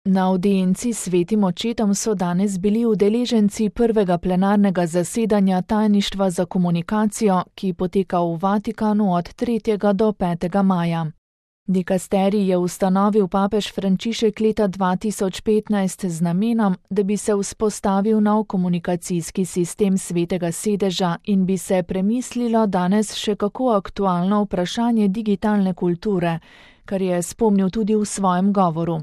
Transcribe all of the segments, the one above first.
Na audienci s Svetim očetom so danes bili udeleženci prvega plenarnega zasedanja Tajništva za komunikacijo, ki poteka v Vatikanu od 3. do 5. maja. Dikasterij je ustanovil papež Frančišek leta 2015 z namenom, da bi se vzpostavil nov komunikacijski sistem Svetega sedeža in bi se premislilo danes še kako aktualno vprašanje digitalne kulture, kar je spomnil tudi v svojem govoru.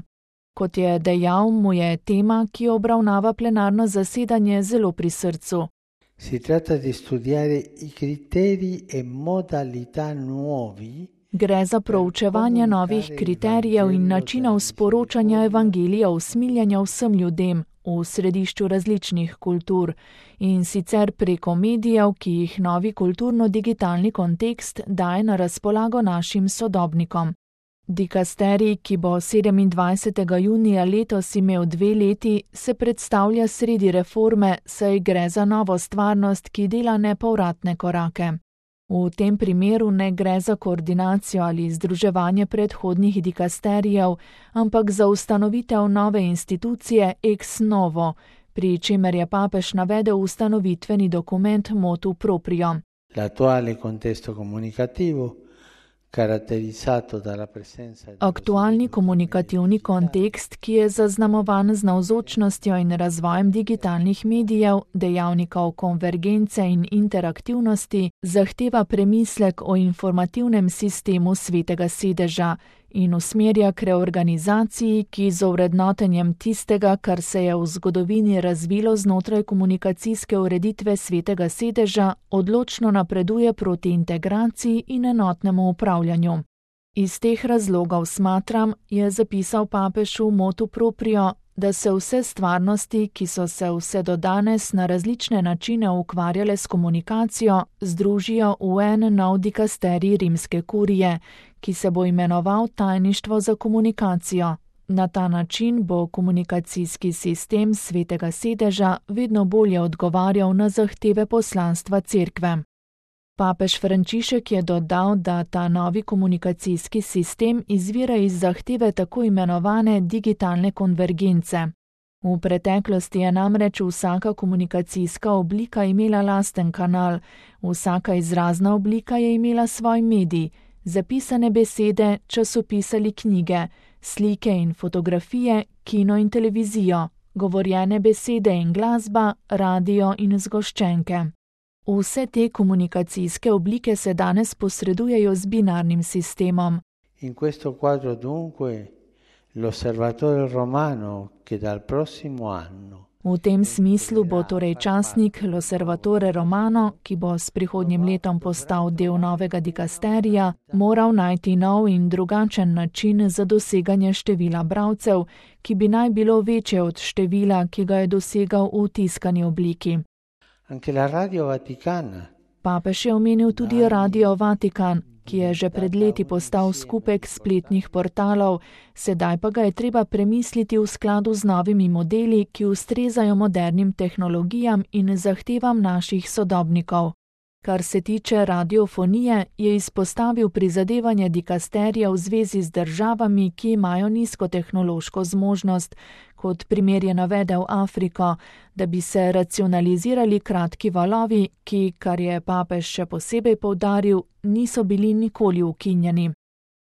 Kot je dejal, mu je tema, ki obravnava plenarno zasedanje, zelo pri srcu. Si tratta di studiare i criteri e modalità nuovi. Gre za proučevanje novih kriterijev in načinov sporočanja evangelija usmiljenja vsem ljudem v središču različnih kultur in sicer preko medijev, ki jih novi kulturno-digitalni kontekst daje na razpolago našim sodobnikom. Dikasterij, ki bo 27. junija letos imel 2 leti, se predstavlja sredi reforme, saj gre za novo stvarnost, ki dela nepovratne korake. V tem primeru ne gre za koordinacijo ali združevanje predhodnih dikasterijev, ampak za ustanovitev nove institucije ex novo, pri čemer je papež navedel ustanovitveni dokument motu proprio. L'attuale contesto comunicativo, aktualni komunikativni kontekst, ki je zaznamovan z navzočnostjo in razvojem digitalnih medijev, dejavnikov konvergence in interaktivnosti, zahteva premislek o informativnem sistemu Svetega sedeža in usmerja k reorganizaciji, ki z ovrednotenjem tistega, kar se je v zgodovini razvilo znotraj komunikacijske ureditve Svetega sedeža, odločno napreduje proti integraciji in enotnemu upravljanju. Iz teh razlogov smatram, je zapisal papež v motu proprio, da se vse stvarnosti, ki so se vse do danes na različne načine ukvarjale s komunikacijo, združijo v en nov dikasterij rimske kurije, ki se bo imenoval Tajništvo za komunikacijo. Na ta način bo komunikacijski sistem Svetega sedeža vedno bolje odgovarjal na zahteve poslanstva Cerkve. Papež Frančišek je dodal, da ta novi komunikacijski sistem izvira iz zahteve tako imenovane digitalne konvergence. V preteklosti je namreč vsaka komunikacijska oblika imela lasten kanal, vsaka izrazna oblika je imela svoj medij, zapisane besede, časopis ali knjige, slike in fotografije, kino in televizijo, govorjene besede in glasba, radio in zgoščenke. Vse te komunikacijske oblike se danes posredujejo z binarnim sistemom. In questo quadro dunque l'Osservatore Romano che dal prossimo anno. V tem smislu bo torej časnik L'Osservatore Romano, ki bo s prihodnjim letom postal del novega dikasterija, moral najti nov in drugačen način za doseganje števila bralcev, ki bi naj bilo večje od števila, ki ga je dosegal v tiskani obliki. Anche la Radio Vaticana. Papež je omenil tudi Radio Vatikan, ki je že pred leti postal skupek spletnih portalov, sedaj pa ga je treba premisliti v skladu z novimi modeli, ki ustrezajo modernim tehnologijam in zahtevam naših sodobnikov. Kar se tiče radiofonije, je izpostavil prizadevanje dikasterija v zvezi z državami, ki imajo nizkotehnološko zmožnost, kot primer je navedel Afriko, da bi se racionalizirali kratki valovi, ki, kar je papež še posebej poudaril, niso bili nikoli ukinjeni.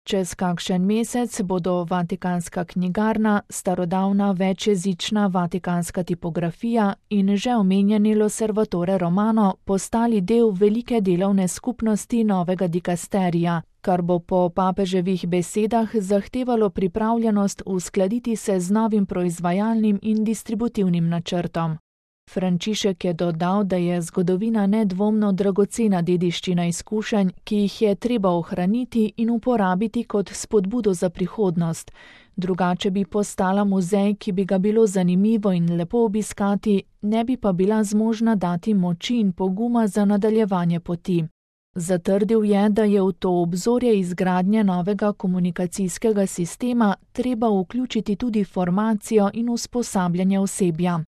Čez kakšen mesec bodo Vatikanska knjigarna, starodavna večjezična vatikanska tipografija in že omenjeni L'Osservatore Romano postali del velike delovne skupnosti novega dikasterija, kar bo po papeževih besedah zahtevalo pripravljenost uskladiti se z novim proizvajalnim in distributivnim načrtom. Frančišek je dodal, da je zgodovina nedvomno dragocena dediščina izkušenj, ki jih je treba ohraniti in uporabiti kot spodbudo za prihodnost. Drugače bi postala muzej, ki bi ga bilo zanimivo in lepo obiskati, ne bi pa bila zmožna dati moči in poguma za nadaljevanje poti. Zatrdil je, da je v to obzorje izgradnje novega komunikacijskega sistema treba vključiti tudi formacijo in usposabljanje osebja.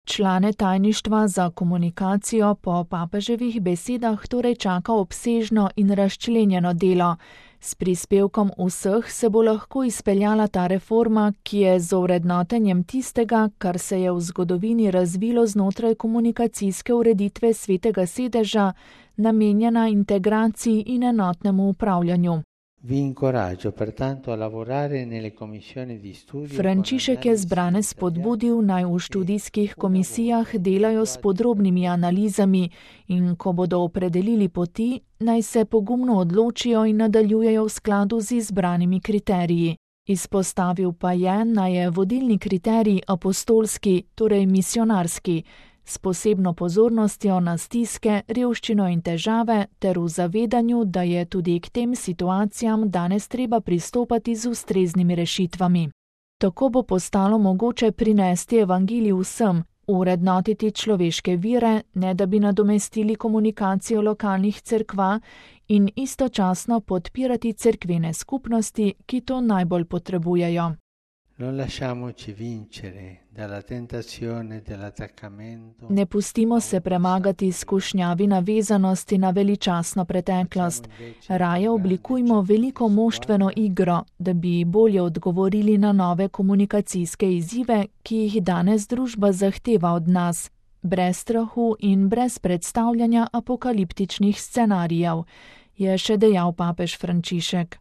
Člane Tajništva za komunikacijo po papeževih besedah torej čaka obsežno in razčlenjeno delo, S prispevkom vseh se bo lahko izpeljala ta reforma, ki je z ovrednotenjem tistega, kar se je v zgodovini razvilo znotraj komunikacijske ureditve Svetega sedeža, namenjena integraciji in enotnemu upravljanju. Frančišek je zbrane spodbudil, naj v študijskih komisijah delajo s podrobnimi analizami in ko bodo opredelili poti, naj se pogumno odločijo in nadaljujejo v skladu z izbranimi kriteriji. Izpostavil pa je, naj je vodilni kriterij apostolski, torej misionarski, s posebno pozornostjo na stiske, revščino in težave ter v zavedanju, da je tudi k tem situacijam danes treba pristopati z ustreznimi rešitvami. Tako bo postalo mogoče prinesti evangelij vsem, urednotiti človeške vire, ne da bi nadomestili komunikacijo lokalnih cerkva in istočasno podpirati cerkvene skupnosti, ki to najbolj potrebujejo. Ne pustimo se premagati skušnjavi navezanosti na veličastno preteklost. Raje oblikujmo veliko moštveno igro, da bi bolje odgovorili na nove komunikacijske izzive, ki jih danes družba zahteva od nas, brez strahu in brez predstavljanja apokaliptičnih scenarijev, je še dejal papež Frančišek.